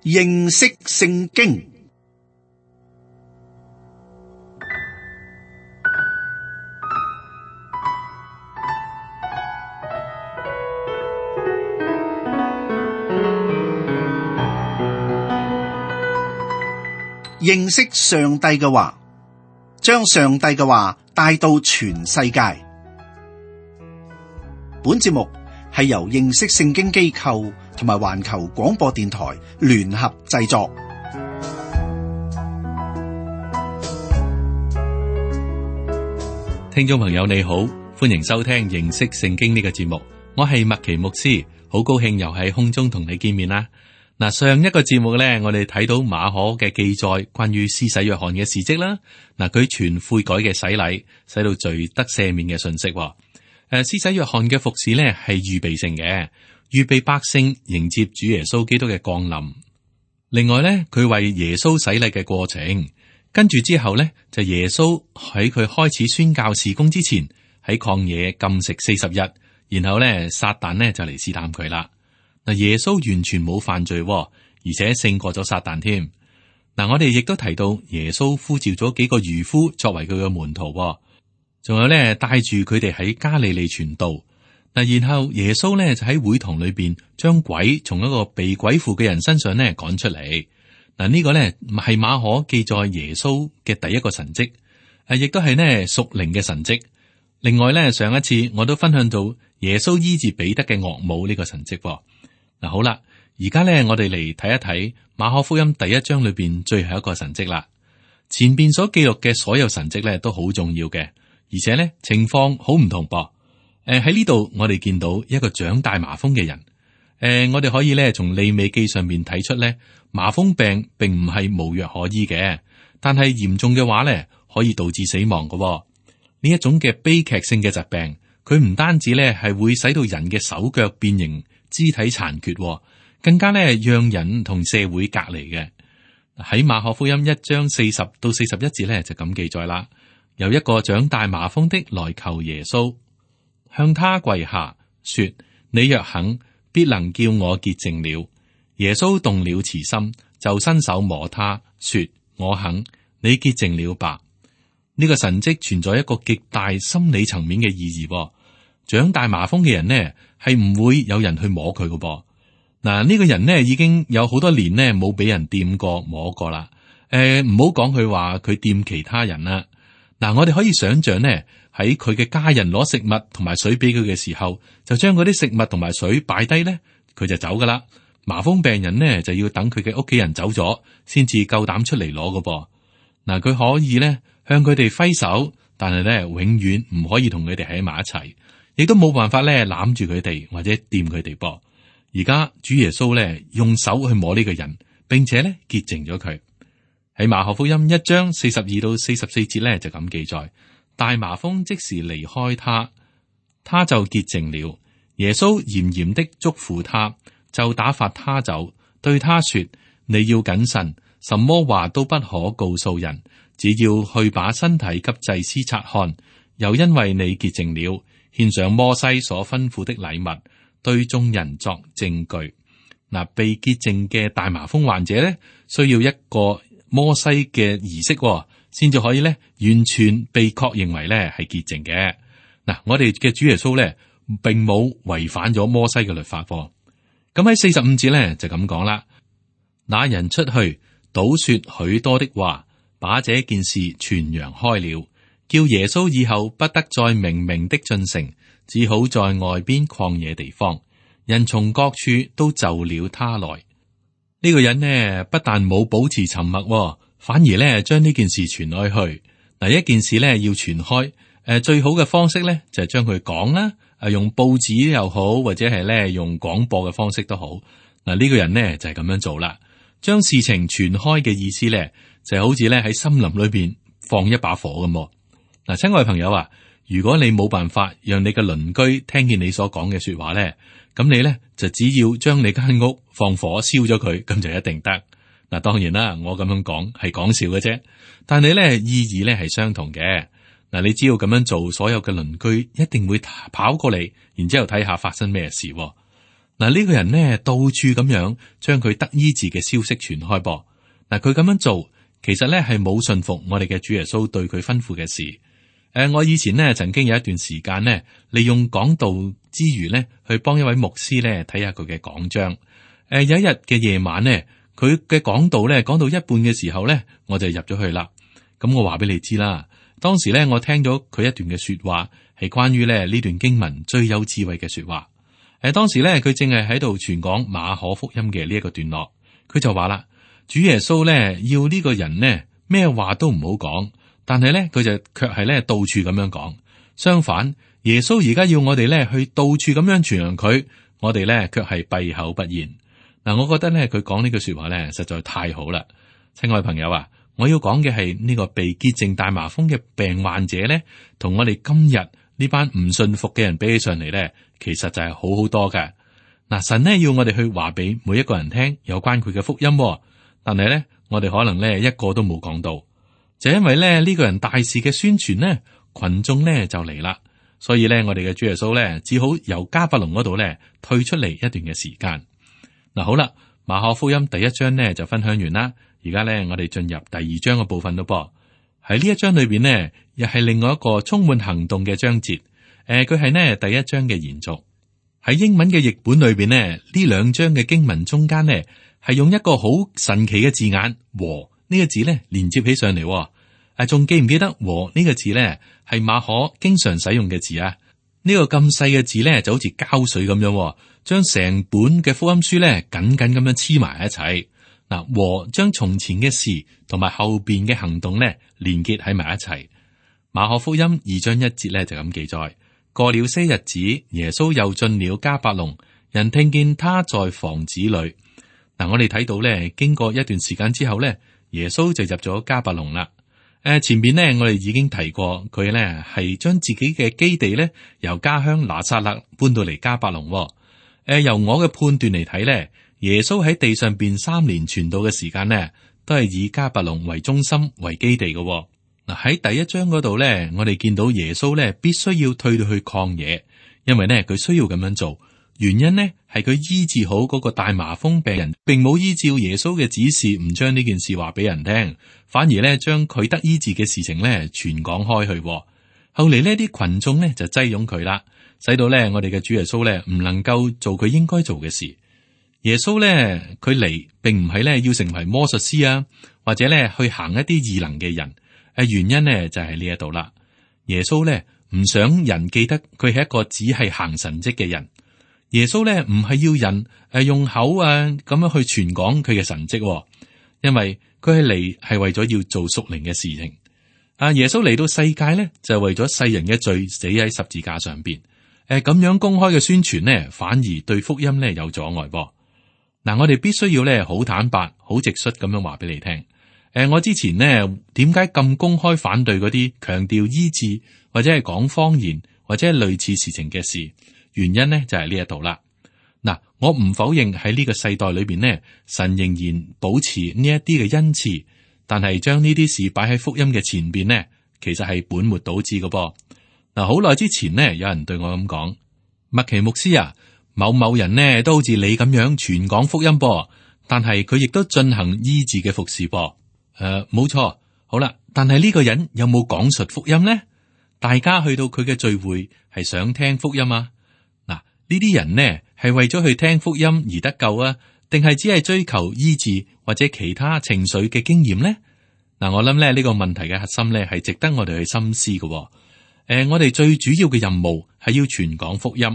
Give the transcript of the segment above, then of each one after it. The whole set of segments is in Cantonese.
認識聖經。認識上帝嘅話，將上帝嘅話帶到全世界。本節目係由認識聖經機構同埋環球廣播電台聯合製作。聽眾朋友你好，歡迎收聽認識聖經呢個節目，我係麥奇牧師，好高興又喺空中同你見面啦。嗱，上一個節目咧，我哋睇到馬可嘅記載，關於施洗約翰嘅事蹟啦。嗱，佢傳悔改嘅洗禮，使到罪得赦免嘅信息。施洗約翰嘅服侍咧係預備性嘅，預備百姓迎接主耶穌基督嘅降臨。另外咧，佢為耶穌洗禮嘅過程，跟住之後咧就耶穌喺佢開始宣教事工之前，喺曠野禁食40日，然後咧撒旦咧就嚟試探佢啦。嗱，耶穌完全冇犯罪，而且勝過咗撒旦添。嗱，我哋亦都提到耶穌呼召咗幾個漁夫作為佢嘅門徒，仲有咧帶住佢哋喺加利利傳道。嗱，然後耶穌咧就喺會堂裏邊將鬼從一個被鬼附嘅人身上咧趕出嚟。嗱，呢個咧係馬可記載耶穌嘅第一個神蹟，亦都係呢屬靈嘅神蹟。另外咧，上一次我都分享到耶穌醫治彼得嘅岳母呢個神蹟。嗱，好啦，而家咧我哋嚟睇一睇馬可福音第1章裏邊最後一個神蹟啦。前邊所記錄嘅所有神蹟咧都好重要嘅，而且咧情況好唔同噃。喺呢度我哋見到一個長大麻風嘅人。我哋可以咧從利未記上面睇出咧，麻風病並唔係無藥可醫嘅，但係嚴重嘅話咧可以導致死亡嘅。呢一種嘅悲劇性嘅疾病，佢唔單止咧係會使到人嘅手腳變形、肢體殘缺，更加咧讓人同社會隔離嘅。喺馬可福音1章40到41節咧就咁記載啦。有一個長大麻風的來求耶穌，向他跪下說：你若肯，必能叫我潔淨了。耶穌動了慈心，就伸手摸他，說：我肯，你潔淨了吧。呢個神蹟存在一個極大心理層面嘅意義。長大麻風嘅人呢，係唔會有人去摸佢嘅噃。嗱，呢個人呢已經有好多年呢冇俾人掂過摸過啦。唔好講佢話佢掂其他人啦。嗱，我哋可以想象呢，喺佢嘅家人攞食物同埋水俾佢嘅時候，就將嗰啲食物同埋水擺低呢，佢就走噶啦。麻風病人呢就要等佢嘅屋企人走咗，先至夠膽出嚟攞嘅噃。嗱，佢可以呢向佢哋揮手，但係呢永遠唔可以同佢哋喺埋一齊。亦都冇辦法咧攬住佢哋或者掂佢哋噃。而家主耶穌咧用手去摸呢個人，並且咧潔淨咗佢。喺馬可福音1章42到44節咧就咁記載：大麻風即時離開他，他就潔淨了。耶穌嚴嚴的囑咐他，就打發他走，對他說：你要謹慎，什麼話都不可告訴人，只要去把身體給祭司察看，又因為你潔淨了，獻上摩西所吩咐的禮物，對眾人作證據。嗱，被潔淨嘅大麻風患者咧，需要一個摩西嘅儀式，先至可以咧完全被確認為咧係潔淨嘅。嗱，我哋嘅主耶穌咧，並冇違反咗摩西嘅律法。咁喺45節咧就咁講啦。那人出去，倒說許多的話，把這件事傳揚開了。叫耶穌以後不得再明明的進城，只好在外邊曠野地方。人從各處都就了他來。呢個人呢，不但冇保持沉默，反而呢將呢件事傳開去。嗱，一件事呢要傳開，最好嘅方式呢就係將佢講啦，用報紙又好，或者係呢用廣播嘅方式都好。嗱，呢個人呢就係咁樣做啦，將事情傳開嘅意思呢，就係好似呢喺森林裏邊放一把火咁。嗱，親愛朋友啊，如果你冇辦法讓你嘅鄰居聽見你所講嘅說話咧，咁你咧就只要將你間屋放火燒咗佢，咁就一定得。嗱，當然啦，我咁樣講係講笑嘅啫，但係咧意義咧係相同嘅。嗱，你只要咁樣做，所有嘅鄰居一定會跑過嚟，然之後睇下發生咩事。嗱，嗱，呢個人呢，到處咁樣將佢得醫治嘅消息傳開噃。嗱，佢咁樣做，其實呢係冇信服我哋嘅主耶穌對佢吩咐嘅事。我以前呢曾經有一段時間呢，利用講道之餘呢，去幫一位牧師呢睇下佢嘅講章。有一日嘅夜晚呢，佢嘅講道呢講到一半嘅時候呢，我就入咗去啦。咁我話俾你知啦，當時呢，我聽咗佢一段嘅說話，係關於呢段經文最有智慧嘅說話。當時呢，佢正係喺度傳講馬可福音嘅呢一個段落，佢就話啦，主耶穌呢要呢個人呢咩話都唔好講。但係咧，佢就卻係咧到處咁樣講。相反，耶穌而家要我哋咧去到處咁樣傳揚佢，我哋咧卻係閉口不言。嗱，我覺得咧佢講呢句說話咧實在太好啦。親愛朋友啊，我要講嘅係呢個被潔淨大麻風嘅病患者咧，同我哋今日呢班唔信服嘅人比起上嚟咧，其實就係好好多嘅。嗱，神呢要我哋去話俾每一個人聽有關佢嘅福音，但係咧我哋可能咧一個都冇講到。就因為咧呢個人大肆嘅宣傳呢，群眾呢就嚟啦，所以咧我哋嘅主耶穌咧只好由迦百農嗰度咧退出嚟一段嘅時間。嗱，好啦，馬可福音第一章呢就分享完啦，而家咧我哋進入第二章嘅部分咯噃。喺呢一章裏邊呢，又係另外一個充滿行動嘅章節。佢係呢第一章嘅延續。喺英文嘅譯本裏邊呢，呢兩章嘅經文中間呢係用一個好神奇嘅字眼和。呢個字咧連接起上嚟，仲記唔記得和呢個字咧係馬可經常使用嘅字啊？呢個咁細嘅字咧就好似膠水咁樣，將成本嘅福音書咧緊緊咁樣黐埋一齊。嗱，和將從前嘅事同埋後邊嘅行動咧連結喺埋一齊。馬可福音2章1節咧就咁記載：過了些日子，耶穌又進了迦百農，人聽見他在房子裏。嗱，我哋睇到咧，經過一段時間之後咧。耶穌就入咗迦百農啦。前邊呢，我哋已經提過，佢呢係將自己嘅基地呢由家鄉拿撒勒搬到嚟迦百農。由我嘅判斷嚟睇呢，耶穌喺地上邊3年傳道嘅時間呢，都係以迦百農為中心為基地嘅。嗱，喺第一章嗰度呢，我哋見到耶穌呢必須要退到去曠野，因為呢佢需要咁樣做。原因呢係佢醫治好嗰個大麻風病人，並冇依照耶穌嘅指示，唔將呢件事話俾人聽，反而呢將佢得醫治嘅事情呢傳講開去。後嚟呢啲群眾呢就擠擁佢啦，使到呢我哋嘅主耶穌呢唔能夠做佢應該做嘅事。耶穌呢佢嚟並唔係呢要成為魔術師啊，或者呢去行一啲異能嘅人。原因呢就係呢一度啦。耶穌呢唔想人記得佢係一個只係行神蹟嘅人。耶穌咧唔係要人用口咁樣去傳講佢嘅神蹟，因為佢係嚟係為咗要做屬靈嘅事情。耶穌嚟到世界咧就係為咗世人嘅罪死喺十字架上邊。咁樣公開嘅宣傳呢，反而對福音咧有阻礙噃。嗱，我哋必須要咧好坦白、好直率咁樣話俾你聽。我之前呢點解咁公開反對嗰啲強調醫治或者係講方言或者係類似事情嘅事？原因呢就係呢一度啦。嗱，我唔否認喺呢個世代裏邊呢，神仍然保持呢一啲嘅恩賜，但係將呢啲事擺喺福音嘅前邊呢，其實係本末倒置嘅噃。嗱，好耐之前呢，有人對我咁講：麥奇牧師啊，某某人呢都好似你咁樣傳講福音噃，但係佢亦都進行醫治嘅服侍噃。冇錯，好啦，但係呢個人有冇講述福音呢？大家去到佢嘅聚會係想聽福音啊？呢啲人呢係為咗去聽福音而得救啊，定係只係追求醫治或者其他情緒嘅經驗呢？嗱，我諗咧呢個問題嘅核心咧係值得我哋去深思嘅。我哋最主要嘅任務係要傳講福音。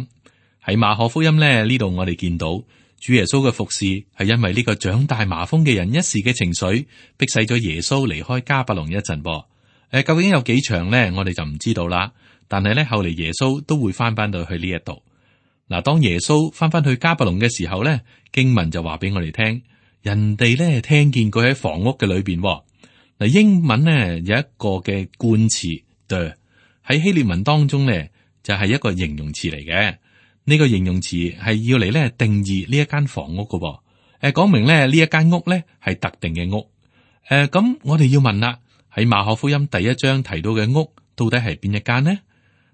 喺馬可福音咧呢度，我哋見到主耶穌嘅服侍係因為呢個長大麻風嘅人一時嘅情緒，迫使咗耶穌離開迦百農一陣噃。究竟有幾長咧，我哋就唔知道啦。但係咧後嚟耶穌都會翻到去呢一度。嗱，當耶穌翻去迦百農嘅時候咧，經文就話俾我哋聽，人哋咧聽見佢喺房屋嘅裏邊。嗱，英文咧有一個嘅冠詞 the 喺希臘文當中咧就係一個形容詞嚟嘅。呢個形容詞係要嚟咧定義呢一間房屋嘅。講明咧呢一間屋咧係特定嘅屋。咁我哋要問啦，喺馬可福音第一章提到嘅屋到底係邊一間呢？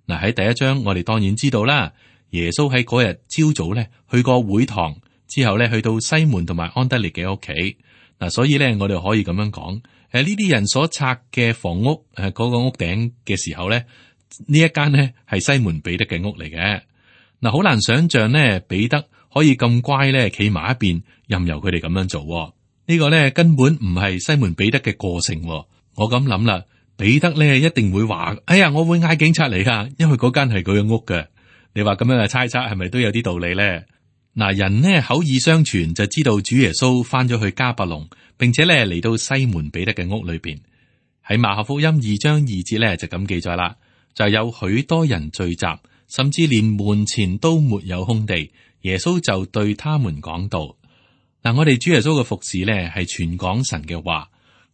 嗱，喺第一章我哋當然知道啦。耶穌喺嗰日朝早咧去過會堂，之後咧去到西門同埋安德烈嘅屋企。嗱，所以咧我哋可以咁樣講，呢啲人所拆嘅房屋嗰個屋頂嘅時候咧，呢一間呢係西門彼得嘅屋嚟嘅。嗱，好難想象呢彼得可以咁乖咧，企埋一邊任由佢哋咁樣做。呢個咧根本唔係西門彼得嘅個性。我咁諗啦，彼得咧一定會話：哎呀，我會嗌警察嚟噶，因為嗰間係佢嘅屋嘅。你話咁樣嘅猜測係咪都有啲道理咧？嗱，人呢口耳相傳就知道主耶穌翻咗去迦百農，並且咧嚟到西門彼得嘅屋裏邊。喺馬可福音2章2節咧就咁記載啦，就有許多人聚集，甚至連門前都沒有空地。耶穌就對他們講道。嗱，我哋主耶穌嘅服侍咧係傳講神嘅話，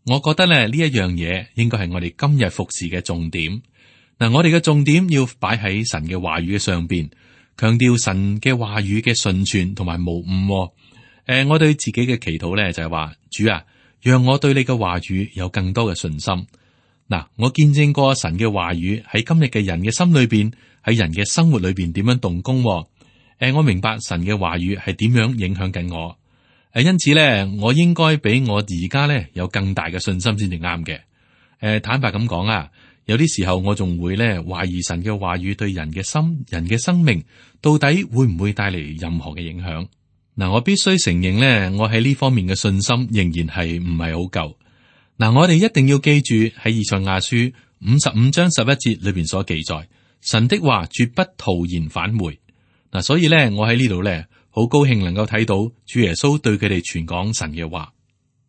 我覺得咧呢一樣嘢應該係我哋今日服侍嘅重點。嗱，我哋嘅重點要擺喺神嘅話語嘅上邊，強調神嘅話語嘅順傳同埋無誤。我對自己嘅祈禱咧就係話，主啊，讓我對你嘅話語有更多嘅信心。嗱，我見證過神嘅話語喺今日嘅人嘅心裏邊，喺人嘅生活裏邊點樣動工。我明白神嘅話語係點樣影響緊我。因此咧，我應該比我而家咧有更大嘅信心先至啱嘅。坦白咁講啊，有啲時候我仲會咧懷疑神嘅話語對人嘅心、人嘅生命到底會唔會帶嚟任何嘅影響。嗱，我必須承認咧，我喺呢方面嘅信心仍然係唔係好夠。嗱，我哋一定要記住喺以賽亞書55章11節裏邊所記載，神的話絕不徒然返回。嗱，所以咧，我喺呢度咧。好高興能夠睇到主耶穌對佢哋傳講神嘅話。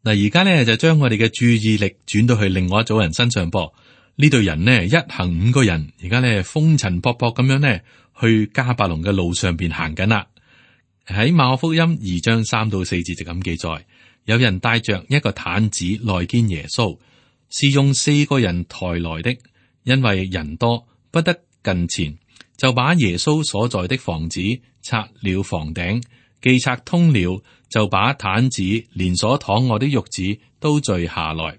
嗱，而家咧就將我哋嘅注意力轉到去另外一組人身上噃。呢隊人呢，一行5個人，而家咧風塵僕僕咁樣呢，去迦百農嘅路上邊行緊啦。喺馬可福音2章3到4節就咁記載，有人帶着一個毯子來見耶穌，是用4個人抬來的，因為人多不得近前。就把耶穌所在的房子拆了房頂，既拆通了，就把毯子連所躺臥的褥子都縋下來。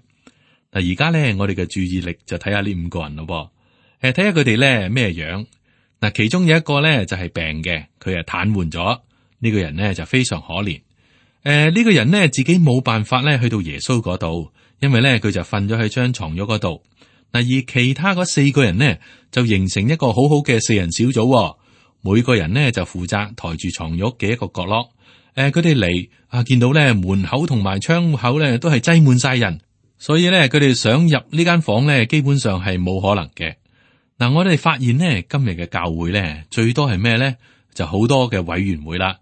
嗱，而家咧，我哋嘅注意力就睇下呢5個人咯。睇下佢哋咧咩樣。嗱，其中有一個咧就係病嘅，佢係癱瘓咗。呢個人咧就非常可憐。呢個人咧自己冇辦法咧去到耶穌嗰度，因為咧佢就瞓咗喺張床褥嗰度。嗱，而其他嗰4個人呢，就形成一個好好嘅4人小組，每個人呢，就負責抬住床褥嘅一個角落。佢哋嚟見到咧門口同埋窗口咧都係擠滿晒人，所以咧佢哋想入呢間房咧，基本上係冇可能嘅。嗱，我哋發現呢，今日嘅教會咧最多係咩咧？就好多嘅委員會啦。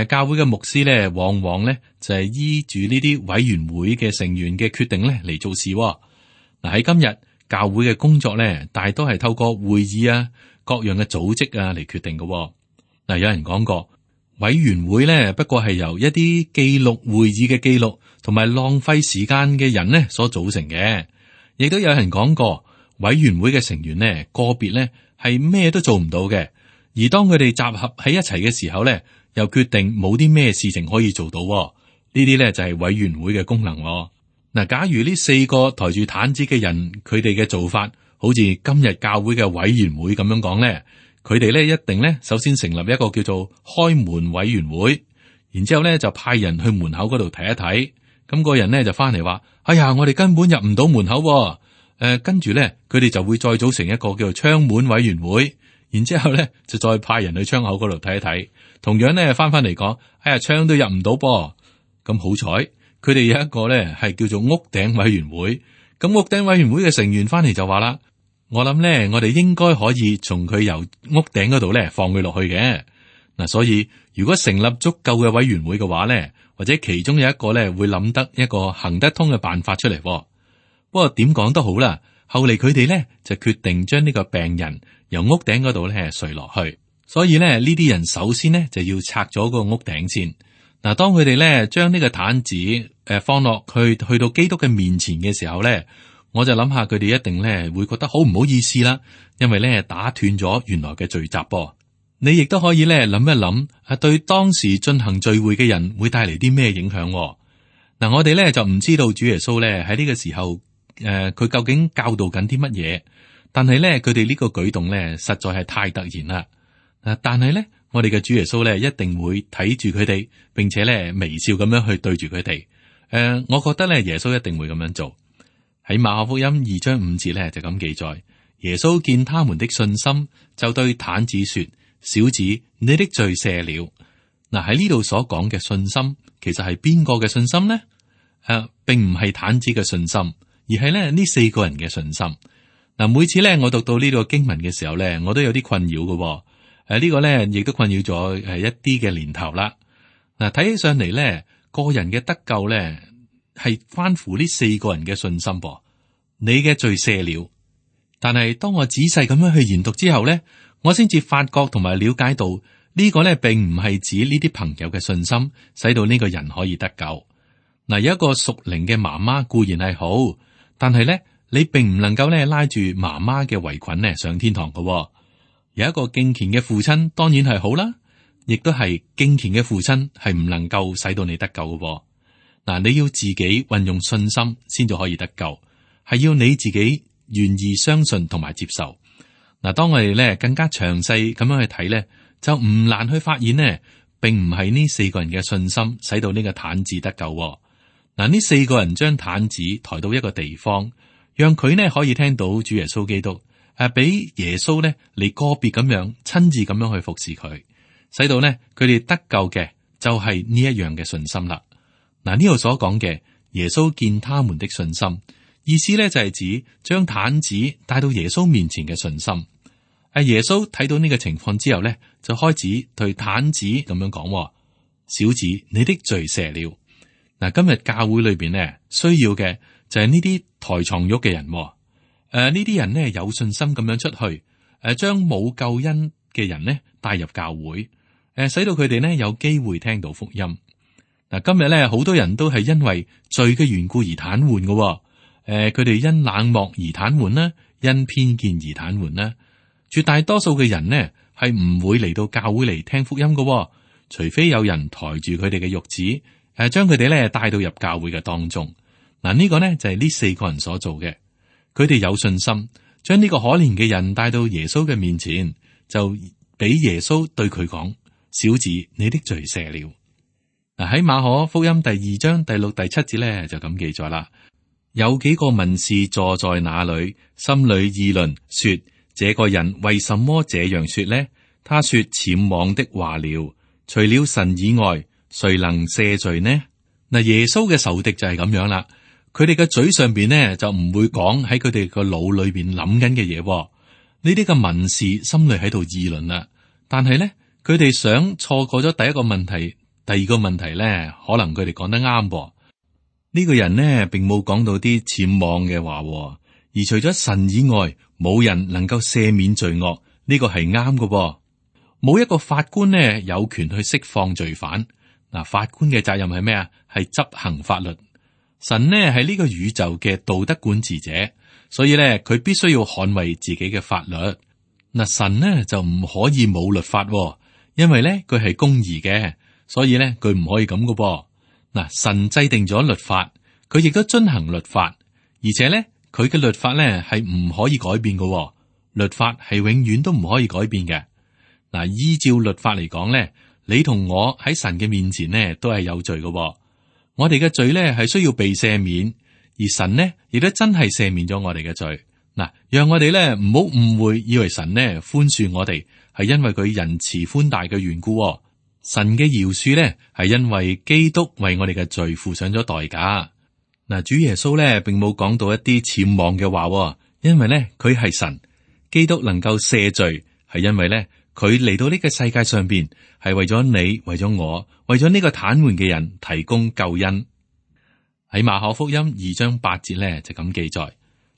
教會嘅牧師咧，往往咧就係依住呢啲委員會嘅成員嘅決定咧嚟做事。嗱，喺今日。教會嘅工作咧，大多係透過會議啊、各樣嘅組織啊嚟決定嘅。嗱，有人講過，委員會咧不過係由一啲記錄會議嘅記錄同埋浪費時間嘅人呢所組成嘅。亦都有人講過，委員會嘅成員呢個別咧係咩都做唔到嘅，而當佢哋集合喺一齊嘅時候咧，又決定冇啲咩事情可以做到。呢啲咧就係委員會嘅功能。嗱，假如呢4個抬住毯子嘅人，佢哋嘅做法好似今日教會嘅委員會咁樣講咧，佢哋咧一定咧首先成立一個叫做開門委員會，然之後咧就派人去門口嗰度睇一睇，咁個人咧就翻嚟話：哎呀，我哋根本入唔到門口。跟住咧，佢哋就會再組成一個叫做窗門委員會，然之後咧就再派人去窗口嗰度睇一睇，同樣咧翻嚟講：哎呀，窗都入唔到噃。咁好彩。佢哋有一個咧係叫做屋頂委員會，咁屋頂委員會嘅成員翻嚟就話啦：我諗咧，我哋應該可以從佢由屋頂嗰度咧放佢落去嘅。嗱，所以如果成立足夠嘅委員會嘅話咧，或者其中有一個咧會諗得一個行得通嘅辦法出嚟。不過點講都好啦，後嚟佢哋咧就決定將呢個病人由屋頂嗰度咧垂落去，所以咧呢啲人首先呢就要拆咗個屋頂先。嗱，當佢哋咧將呢個毯子放落去到基督嘅面前嘅時候咧，我就諗下佢哋一定咧會覺得好唔好意思啦，因為咧打斷咗原來嘅聚集噃。你亦都可以咧諗一諗，對當時進行聚會嘅人會帶嚟啲咩影響？嗱，我哋咧就唔知道主耶穌咧喺呢個時候佢究竟教導緊啲乜嘢，但係咧佢哋呢個舉動咧實在係太突然啦。但係咧，我哋嘅主耶穌咧一定會睇住佢哋，並且咧微笑咁樣去對住佢哋。我覺得咧耶穌一定會咁樣做。喺馬可福音2章5節咧就咁記載，耶穌見他們的信心，就對癱子說：小子，你的罪赦了。嗱，喺呢度所講嘅信心，其實係邊個嘅信心呢？並唔係癱子嘅信心，而係咧呢4個人嘅信心。嗱，每次咧我讀到呢個經文嘅時候咧，我都有啲困擾嘅。呢個咧亦都困擾咗一啲嘅年頭啦。嗱，睇起上嚟咧，個人嘅得救咧係關乎呢4個人嘅信心噃。你嘅罪赦了，但係當我仔細咁樣去研讀之後咧，我先至發覺同埋了解到呢個咧並唔係指呢啲朋友嘅信心使到呢個人可以得救。嗱，有一個屬靈嘅媽媽固然係好，但係咧你並唔能夠咧拉住媽媽嘅圍裙咧上天堂嘅。有一個敬虔嘅父親當然係好啦，亦都係敬虔嘅父親係唔能夠使到你得救嘅。嗱，你要自己運用信心先至可以得救，係要你自己願意相信同埋接受。嗱，當我哋咧更加詳細咁樣去睇咧，就唔難去發現呢，並唔係呢4個人嘅信心使到呢個癱子得救。嗱，呢4個人將癱子抬到一個地方，讓佢呢可以聽到主耶穌基督，俾耶穌呢嚟個別咁樣親自咁樣去服侍佢，使到呢佢哋得救嘅就係呢一樣嘅信心啦。嗱，呢度所講嘅耶穌見他們的信心，意思咧就係指將癱子帶到耶穌面前嘅信心。耶穌睇到呢個情況之後咧，就開始對癱子咁樣講：小子，你的罪赦了。嗱，今日教會裏邊咧需要嘅就係呢啲抬床褥嘅人。呢啲人呢有信心咁樣出去，將冇救恩嘅人呢帶入教會，使到佢哋呢有機會聽到福音。嗱，今日咧好多人都係因為罪嘅緣故而癱瘓嘅。佢哋因冷漠而癱瘓啦，因偏見而癱瘓啦。絕大多數嘅人呢係唔會嚟到教會嚟聽福音嘅，除非有人抬住佢哋嘅褥子。將佢哋咧帶到入教會嘅當中。嗱，呢個呢就係呢4個人所做嘅。佢哋有信心，將呢個可憐嘅人帶到耶穌嘅面前，就俾耶穌對佢講：小子，你的罪赦了。嗱，喺馬可福音第2章第6、第7節咧就咁記載啦。有幾個文士坐在那裏，心裏議論說：這個人為什麼這樣說呢？他說僭妄的話了，除了神以外，誰能赦罪呢？嗱，耶穌嘅仇敵就係咁樣啦，佢哋嘅嘴上邊呢就唔會講喺佢哋個腦裏邊諗緊嘅嘢。呢啲嘅文士心裏喺度議論啦，但係咧佢哋想錯過咗第一個問題，第二個問題咧可能佢哋講得啱。呢個人呢並冇講到啲僭妄嘅話，而除咗神以外，冇人能夠赦免罪惡，呢個係啱嘅。冇一個法官呢有權去釋放罪犯。嗱，法官嘅責任係咩啊？係執行法律。神呢係呢個宇宙嘅道德管治者，所以咧佢必須要捍衛自己嘅法律。嗱，神呢就唔可以冇律法，因為咧佢係公義嘅，所以咧佢唔可以咁嘅噃。嗱，神制定咗律法，佢亦都遵行律法，而且咧佢嘅律法咧係唔可以改變嘅。律法係永遠都唔可以改變嘅。嗱，依照律法嚟講咧，你同我喺神嘅面前呢都係有罪嘅。我哋嘅罪咧係需要被赦免，而神呢亦都真係赦免咗我哋嘅罪。嗱，讓我哋咧唔好誤會，以為神呢寬恕我哋係因為佢仁慈寬大嘅緣故。神嘅饒恕咧係因為基督為我哋嘅罪付上咗代價。嗱，主耶穌咧並冇講到一啲僭妄嘅話，因為咧佢係神，基督能夠赦罪係因為咧。佢嚟到呢個世界上邊，係為咗你，為咗我，為咗呢個癱瘓嘅人提供救恩。喺馬可福音2章8節咧就咁記載，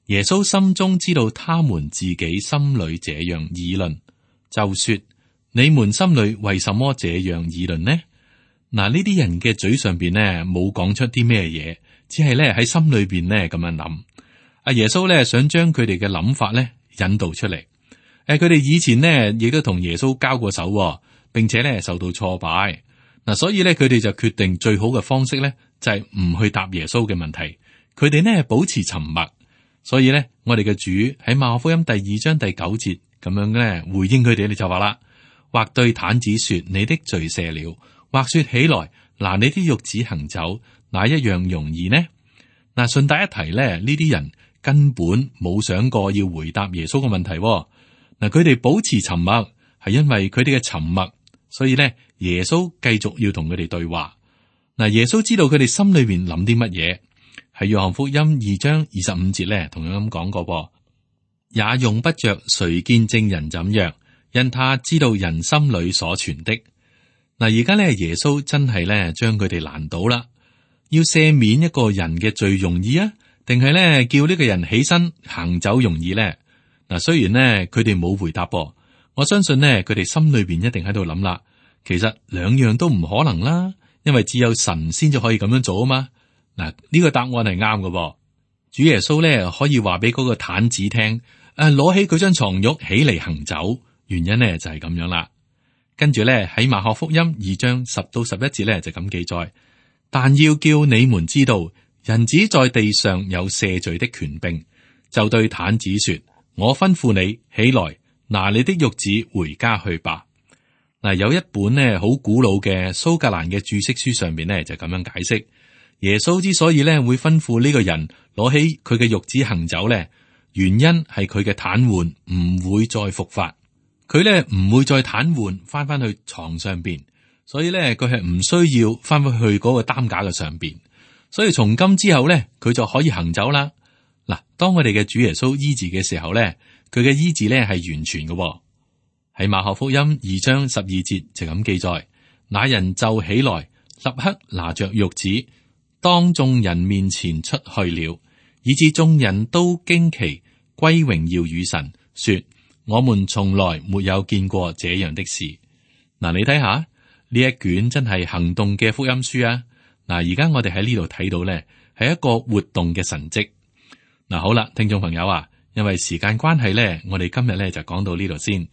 耶穌心中知道他們自己心裏這樣議論，就說：你們心裏為什麼這樣議論呢？嗱，呢啲人嘅嘴上邊呢冇講出啲咩嘢，只係咧喺心裏邊呢咁樣諗。阿耶穌咧想將佢哋嘅諗法咧引導出嚟。佢哋以前呢亦都同耶穌交過手，並且咧受到挫敗。嗱，所以咧佢哋就決定最好嘅方式咧就係唔去答耶穌嘅問題。佢哋呢保持沉默。所以咧，我哋嘅主喺馬可福音第2章第9節咁樣咧回應佢哋，你就話啦：或對癱子說你的罪赦了，或說起來拿你的褥子行走，哪一樣容易呢？嗱，順帶一提咧，呢啲人根本冇想過要回答耶穌嘅問題。嗱，佢哋保持沉默，係因為佢哋嘅沉默，所以咧耶穌繼續要同佢哋對話。嗱，耶穌知道佢哋心裏邊諗啲乜嘢，喺約翰福音2章25節咧，同樣咁講過，也用不着誰見證人怎樣，因他知道人心裏所存的。嗱，而家咧耶穌真係咧將佢哋難倒啦，要赦免一個人嘅罪容易啊，定係咧叫呢個人起身行走容易咧？嗱，雖然咧佢哋冇回答噃，我相信咧佢哋心裏邊一定喺度諗啦，其實兩樣都唔可能啦。因為只有神先至可以咁樣做啊嘛。嗱，呢個答案係啱嘅。主耶穌咧可以話俾嗰個癱子聽，攞起佢張床褥起嚟行走，原因咧就係咁樣啦。跟住咧喺馬可福音2章10到11節咧就咁記載，但要叫你們知道，人子在地上有赦罪的權柄，就對癱子說：我吩咐你起來，拿你的褥子回家去吧。嗱，有一本咧好古老嘅蘇格蘭嘅注釋書上邊咧就咁樣解釋，耶穌之所以咧會吩咐呢個人攞起佢嘅褥子行走咧，原因係佢嘅癱瘓唔會再復發，佢咧唔會再癱瘓翻去床上邊，所以咧佢係唔需要翻去嗰個擔架嘅上邊，所以從今之後咧佢就可以行走啦。嗱，當我哋嘅主耶穌醫治嘅時候咧，佢嘅醫治咧係完全嘅。喺馬可福音2章12節就咁記載，那人就起來，立刻拿着褥子，當眾人面前出去了，以致眾人都驚奇，歸榮耀與神，說：我們從來沒有見過這樣的事。嗱，你睇下呢一卷真係行動嘅福音書啊！嗱，而家我哋喺呢度睇到咧，係一個活動嘅神蹟。嗱，好啦，聽眾朋友啊，因為時間關係咧，我哋今日咧就講到呢度先。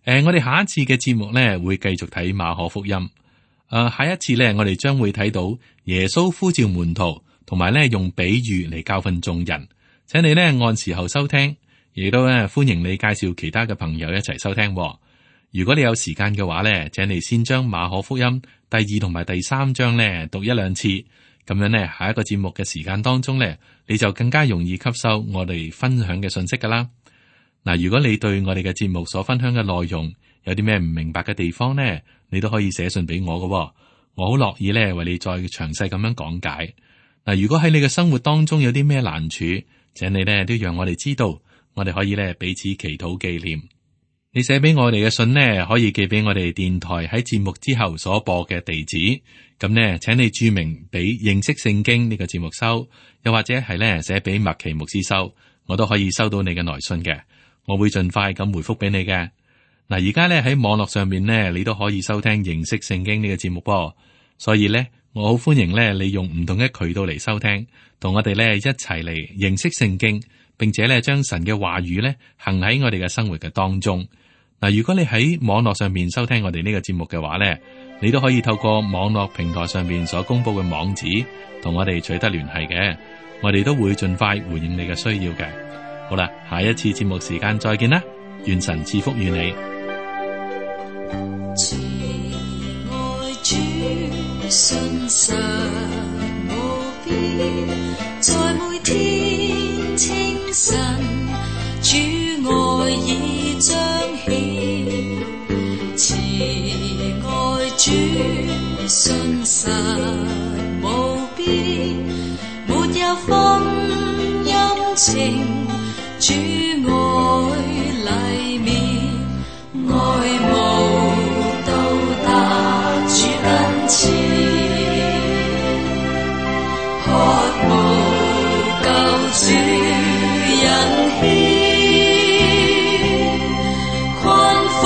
我哋下一次嘅節目咧會繼續睇馬可福音。下一次咧，我哋將會睇到耶穌呼召門徒，同埋咧用比喻嚟教訓眾人。請你咧按時候收聽，亦都咧歡迎你介紹其他嘅朋友一齊收聽。如果你有時間嘅話咧，請你先將馬可福音第2同埋第3章咧讀1-2次，咁樣咧下一個節目嘅時間當中咧，你就更加容易吸收我哋分享嘅信息噶啦。嗱，如果你對我哋嘅節目所分享嘅內容有啲咩唔明白嘅地方呢，你都可以寫信俾我嘅，我好樂意咧為你再詳細咁樣講解。嗱，如果喺你嘅生活當中有啲咩難處，請你咧都讓我哋知道，我哋可以咧彼此祈禱紀念。你寫俾我哋嘅信呢，可以寄俾我哋電台喺節目之後所播嘅地址。咁呢，請你注明俾認識聖經呢個節目收，又或者係咧寫俾麥奇牧師收，我都可以收到你嘅來信嘅。我會盡快咁回覆俾你嘅。嗱，而家咧喺網絡上面咧，你都可以收聽認識聖經呢個節目噃。所以咧，我好歡迎咧你用唔同嘅渠道嚟收聽，同我哋咧一齊嚟認識聖經，並且咧將神嘅話語咧行喺我哋嘅生活嘅當中。嗱，如果你喺網絡上面收聽我哋呢個節目嘅話咧，你都可以透過網絡平台上面所公布嘅網址，同我哋取得聯繫嘅。我哋都會盡快回應你嘅需要嘅。好啦，下一次節目時間再見啦，願神賜福與你。慈愛主信實無邊，在每天清晨，主愛已彰顯。慈愛主信實無邊，沒有分陰晴。主愛禮面，愛慕到達主跟前，渴慕救主引牽，困苦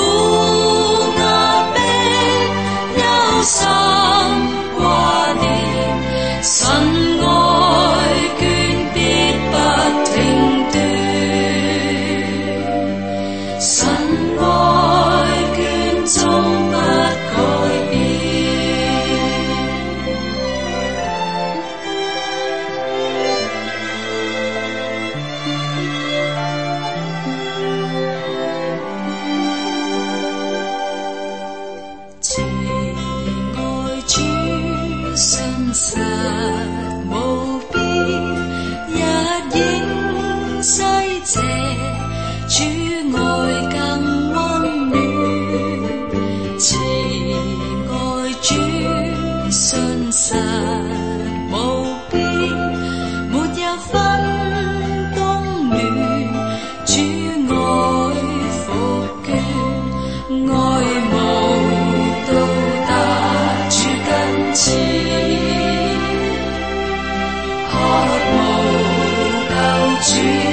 壓迫憂心掛念，神愛眷必不停。分冬暖，主愛復眷，愛慕到達主跟前，渴慕救主。